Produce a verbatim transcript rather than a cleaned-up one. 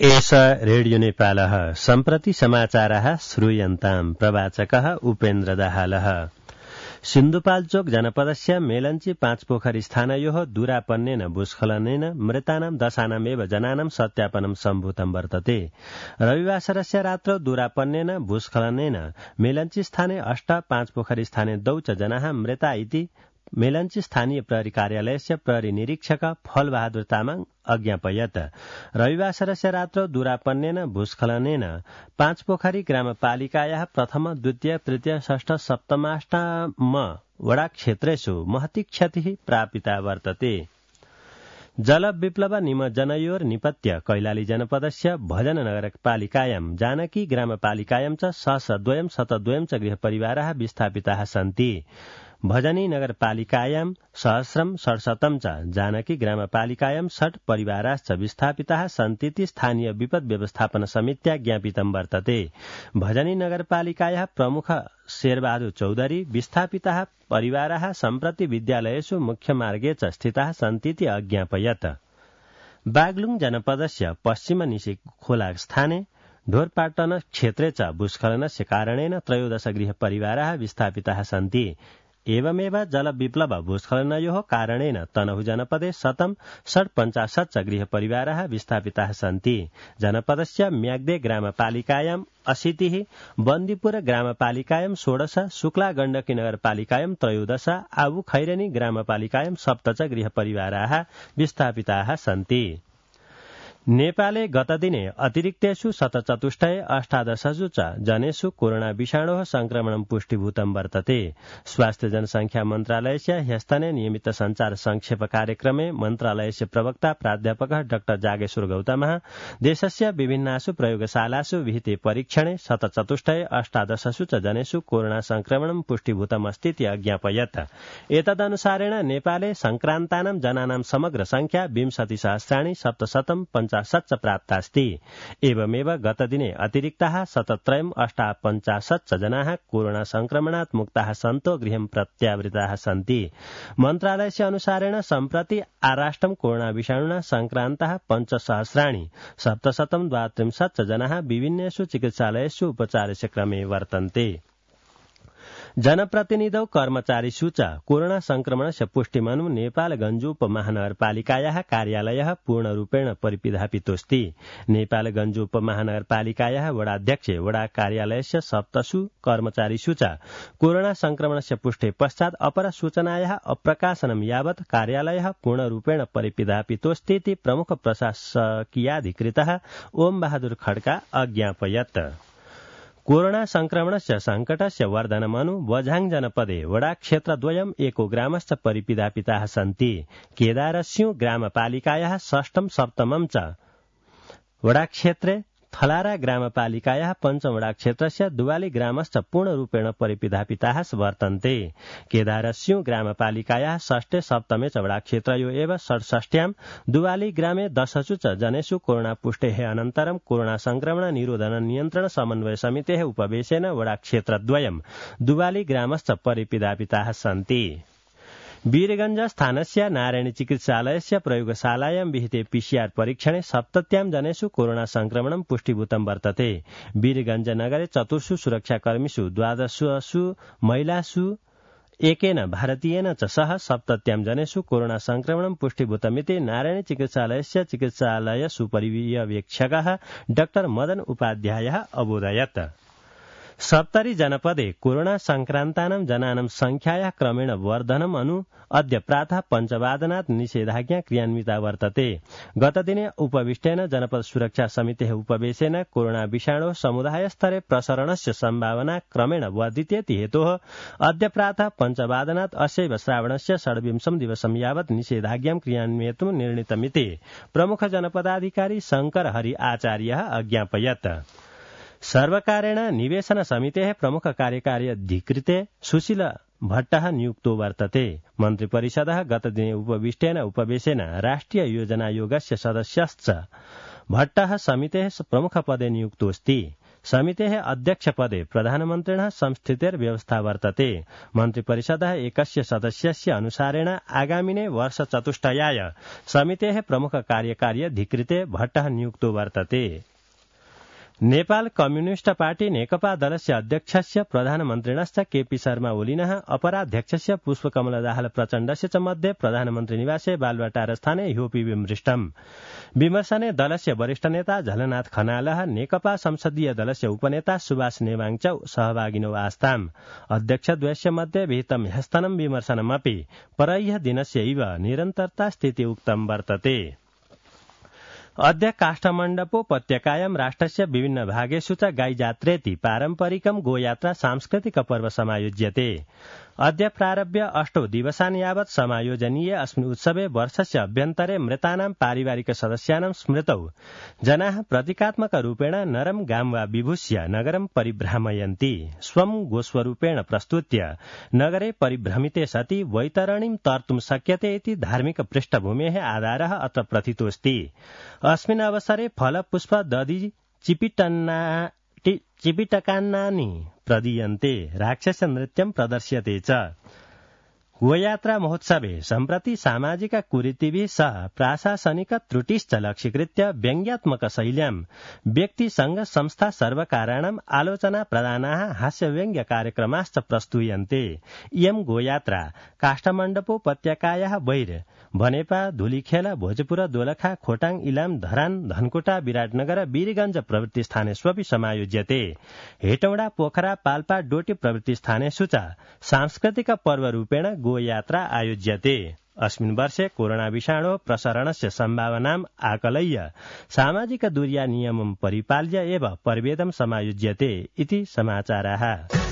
एष रेडियो नेपालः सम्प्रति समाचारः श्रूयन्ताम् प्रवाचकः उपेन्द्र दाहालः। सिन्धुपाल्चोक जनपदस्य मेलन्ची पाँचपोखरी स्थानयोः दूरापन्नेन भूस्खलनेन मृतानां दशानामेव जनानां सत्यापनं सम्भूतं वर्तते। रविवासरस्य रात्रौ दूरापन्नेन भूस्खलनेन मेलन्ची स्थाने अष्ट पाँचपोखरी स्थाने दौ च जनाः मृता इति मेलन्ची स्थानीय प्रहरी कार्यालयस्य प्रहरी निरीक्षक फलबहादुर तामाङ अज्ञापयत्। रविवासरस्य रात्रौ दूरापन्नेन भूस्खलनेन पाँचपोखरी ग्रामपालिकायाः प्रथम द्वितीय तृतीय षष्ठ सप्तमाष्टम वडा क्षेत्रेषु महती क्षतिः प्रापिता वर्तते। जल विप्लव निमज्जनयोर निपत्य कैलाली जनपदस्य भजन नगरपालिकायां जानकी ग्रामपालिकायां च सहस्रद्वयं शतद्वयं च गृहपरिवाराः विस्थापिताः सन्ति। भजनी नगरपालिकायां सहस्रं षट्शतं च जानकी ग्रामपालिकायां षट् परिवाराश्च विस्थापिताः सन्तीति स्थानीय विपद व्यवस्थापन समित्या ज्ञापितं वर्तते। भजनी नगरपालिकायाः प्रमुख शेरबहादुर चौधरी विस्थापिताः परिवाराः सम्प्रति विद्यालयेषु मुख्यमार्गे च स्थिताः सन्तीति अज्ञापयत्। बागलुङ जनपदस्य पश्चिम निशी खोला स्थाने ढोरपाटन क्षेत्रे च भूस्खलनस्य कारणेन त्रयोदश गृहपरिवाराः विस्थापिताः सन्ति। एवमेव जल विप्लव भूस्खलनयोः कारणेन तनहु जनपदे शतं षट्पञ्चाशत् च गृहपरिवाराः विस्थापिताः सन्ति। जनपदस्य म्याग्दे ग्रामपालिकायाम् अशीतिः, बन्दीपुर ग्रामपालिकायां षोडश, शुक्ला गण्डकी नगरपालिकायां त्रयोदश, आबु खैरेनी ग्रामपालिकायां सप्त च गृहपरिवाराः विस्थापिताः सन्ति। नेपाले गतदिने अतिरिक्तेषु शतचतुष्टये अष्टादशसु च जनेषु कोरोना विषाणोः संक्रमणं पुष्टिभूतं वर्तते। स्वास्थ्य जनसंख्या मन्त्रालयस्य ह्यस्तने नियमित संचार संक्षेप कार्यक्रमे मन्त्रालयस्य प्रवक्ता प्राध्यापकः डाक्टर जागेश्वर गौतमः देशस्य विभिन्नासु प्रयोगशालासु विहिते परीक्षणे शतचतुष्टये अष्टादशसु च जनेषु कोरोना संक्रमणं पुष्टिभूतमस्तीति अज्ञापयत्। एतदनुसारेण नेपाले संक्रान्तानां जनानां समग्र संख्या विंशतिसहस्राणि सप्तशतं पञ्चाशत् प्राप्तास्ति। एवमेव गतदिने अतिरिक्ताः शतत्रयम् अष्टापञ्चाशत् च जनाः कोरोना संक्रमणात् मुक्ताः सन्तो गृहं प्रत्यावृताः सन्ति। मन्त्रालयस्य अनुसारेण सम्प्रति आराष्ट्रं कोरोना विषाणुना संक्रान्ताः पञ्चसहस्राणि सप्तशतं द्वात्रिंशत् च जनाः विभिन्नेषु चिकित्सालयेषु उपचारस्य क्रमे वर्तन्ते। जनप्रतिनिधौ कर्मचारीषु च कोरोना संक्रमणस्य पुष्टिमनु नेपालगञ्ज उपमहानगरपालिकायाः कार्यालयः पूर्णरूपेण परिपिधापितोऽस्ति। नेपालगञ्ज उपमहानगरपालिकायाः वडाध्यक्षे वडा कार्यालयस्य सप्तसु कर्मचारीषु च कोरोना संक्रमणस्य पुष्टे पश्चात् अपर सूचनायाः अप्रकाशनं यावत् कार्यालयः पूर्णरूपेण परिपिधापितोऽस्तीति प्रमुख प्रशासकीयाधिकृतः ओम बहादुर खड्का अज्ञापयत्। कोरोना संक्रमणस्य संकटस्य वर्धनमनु बझाङ जनपदे वडा क्षेत्रद्वयम् एको ग्रामश्च परिपिधापिताः सन्ति। केदारस्यु ग्रामपालिकायाः षष्ठं सप्तमं च वडा क्षेत्रे थलारा ग्रामपालिकायाः पञ्चम वडा क्षेत्रस्य दुवाली ग्रामश्च पूर्णरूपेण परिपिधापिताः वर्तन्ते। केदारस्यु ग्रामपालिकायाः षष्ठे सप्तमे च वडा क्षेत्रयो एव षट्षष्ट्यां दुवाली ग्रामे दशसु च जनेषु कोरोना पुष्टेः अनन्तरं कोरोना संक्रमण निरोधन नियन्त्रण समन्वय समितेः उपवेशेन वडा क्षेत्रद्वयम् दुवाली ग्रामश्च परिपिधापिताः सन्ति। वीरगंज स्थानस्य नारायणी चिकित्सालयस्य प्रयोगशालायां विहिते पीसीआर परीक्षणे सप्तत्यां जनेषु कोरोना संक्रमणं पुष्टिभूतं वर्तते। वीरगंज नगरे चतुर्षु सुरक्षाकर्मीषु द्वादशसु महिलासु एकेन भारतीयेन च सह सप्तत्यां जनेषु कोरोना संक्रमणं पुष्टिभूतमिति नारायणी चिकित्सालयस्य चिकित्सालय सुपरिवीक्षकः डाक्टर मदन उपाध्यायः अबोधयत्। सप्तरी जनपदे कोरोना संक्रान्तानां जनानां संख्यायाः क्रमेण वर्धनम् अनु अद्य प्रातः पञ्चवादनात् निषेधाज्ञा क्रियान्विता वर्तते। गतदिने उपविष्टेन जनपद सुरक्षा समितेः उपवेशेन कोरोना विषाणोः समुदायस्तरे प्रसरणस्य सम्भावना क्रमेण वर्धितेति हेतोः अद्य प्रातः पञ्चवादनात् अस्यैव श्रावणस्य षड्विंशं दिवसं यावत् निषेधाज्ञां क्रियान्वयितुं निर्णीतमिति प्रमुख जनपदाधिकारी शंकर हरि आचार्यः अज्ञापयत्। सर्वकारेण निवेशन समितेः प्रमुख कार्यकारी अधिकृते सुशील भट्टः नियुक्तो वर्तते। मन्त्रिपरिषदः गतदिने उपविष्टेन उपवेशेन राष्ट्रिय योजनायोगस्य सदस्यश्च भट्टः समितेः प्रमुखपदे नियुक्तोऽस्ति। समितेः अध्यक्षपदे प्रधानमन्त्रिणः संस्थितेर्व्यवस्था वर्तते। मन्त्रिपरिषदः एकस्य सदस्यस्य अनुसारेण आगामिने वर्षचतुष्टयाय समितेः प्रमुख कार्यकारी अधिकृते भट्टः नियुक्तो वर्तते। नेपाल कम्युनिस्ट पार्टी नेकपा दलस्य अध्यक्षस्य प्रधानमन्त्रिणश्च केपी शर्मा ओलिनः अपराध्यक्षस्य पुष्पकमल दाहाल प्रचण्डस्य च मध्ये प्रधानमन्त्री निवासे बालुवाटार स्थाने ह्योपि विमृष्टम्। विमर्शने दलस्य वरिष्ठ नेता झलनाथ खनालः नेकपा संसदीय दलस्य उपनेता सुभाष नेवाङ च सहभागिनो आस्ताम्। अध्यक्षद्वयस्य मध्ये विहितं ह्यस्तनं विमर्शनमपि परह्य दिनस्यैव निरन्तरता स्थिति उक्तं वर्तते। अद्य काष्ठमण्डपोपत्यकायां राष्ट्रस्य विभिन्न भागेषु च गाईजात्रेति पारम्परिकं गोयात्रा सांस्कृतिक पर्व समायोज्यते। अद्य प्रारभ्य अष्टौ दिवसान् यावत् समायोजनीय अस्मिन् उत्सवे वर्षस्य अभ्यन्तरे मृतानां पारिवारिक सदस्यानां स्मृतौ जनाः प्रतीकात्मक रूपेण नरं गां वा विभूष्य नगरं परिभ्रामयन्ति। स्वं गोस्वरूपेण प्रस्तुत्य नगरे परिभ्रमिते सति वैतरणीं तर्तुं शक्यते इति धार्मिक पृष्ठभूमेः आधारः अत्र प्रथितोऽस्ति। अस्मिन् अवसरे फलपुष्प दधि चिपिटन्ना चिपिटकान्नानि प्रदीयन्ते, राक्षस नृत्यं प्रदर्श्यते च। गोयात्रा महोत्सवे सम्प्रति सामाजिक कुरीतिभिः सह प्राशासनिक त्रुटिश्च लक्ष्यीकृत्य व्यङ्ग्यात्मक शैल्यां व्यक्ति संघ संस्था सर्वकाराणाम् आलोचना प्रदानाः हास्यव्यङ्ग्य कार्यक्रमाश्च प्रस्तूयन्ते। इयं गोयात्रा काष्ठमण्डपोपत्यकायाः बहिर् बनेपा, धुलीखेल, भोजपुर, दोलखा, खोटाङ, इलाम, धरान, धनकुटा, विराटनगर, वीरगंज प्रभृति स्थानेष्वपि समायोज्यते। हेटौडा, पोखरा, पाल्पा, डोटी प्रभृति स्थानेषु च सांस्कृतिक पर्वरूपेण गोयात्रा आयोज्यते। अस्मिन् वर्षे कोरोना विषाणो प्रसरणस्य सम्भावनाम् आकलय्य सामाजिक दूर्या नियमं परिपाल्य एव पर्वेदं समायोज्यते इति समाचाराः।